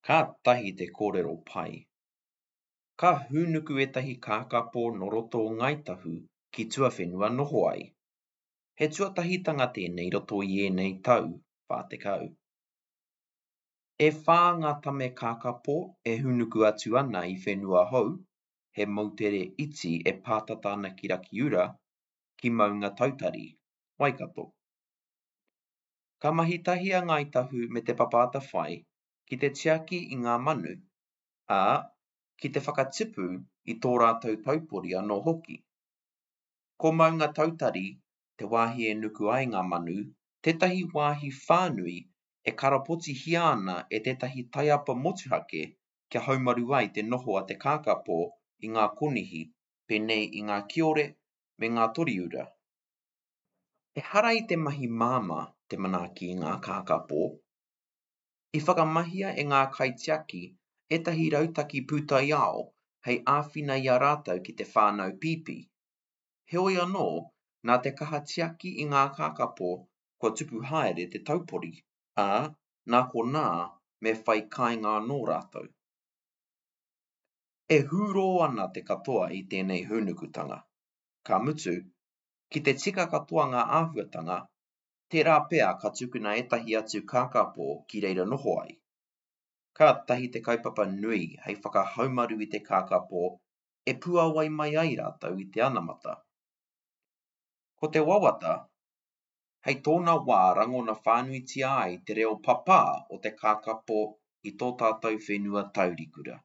Kātahi te kōrero pai. Ka hūnuku ētahi kākāpō nō roto o Ngāi Tahu ki tuawhenua noho ai. He tuatahitanga tēnei i roto i ēnei tau 40. E whā ngā tame kākāpō e hūnuku atu ana i Whenua Hou, he moutere iti e pātata ana ki Rakiura, ki Maungatautari, Waikato. Ka mahi tahi a Ngāi Tahu me Te Papa Atawhai ki te tiaki i ngā manu, ā, ki te whakatipu i tō rātou taupori anō hoki. Ko Maungatautari, te wāhi e nuku ai ngā manu, tētahi wāhi whānui e karapotihia ana e tētahi taiapa motuhake kia haumaru ai te noho a te kākāpō i ngā konihi pēnei i ngā kiore me ngā toriura. Ehara i te mahi māmā te manaaki i ngā kākāpō. I whakamahia e ngā kaitiaki ētahi rautaki pūtaiao hei āwhina i a rātou ki te whānau pīpī. Heoi anō, nā te kaha tiaki i ngā kākāpō kua tupu haere te taupori, ā, nā konā me whai kāinga anō rātou. E hūrō ana te katoa i tēnei hūnukutanga. Ka mutu, ki te tika katoa ngā āhuatanga, tērā pea ka tukuna ētahi atu kākāpō ki reira noho ai. Kātahi te kaupapa nui hei whakahaumaru i te kākāpō e puāwai mai ai rātou i te anamata. Ko te wawata, hei tōna wā rangona whānuitia ai te reo papā o te kākāpō i tō tātou whenua taurikura.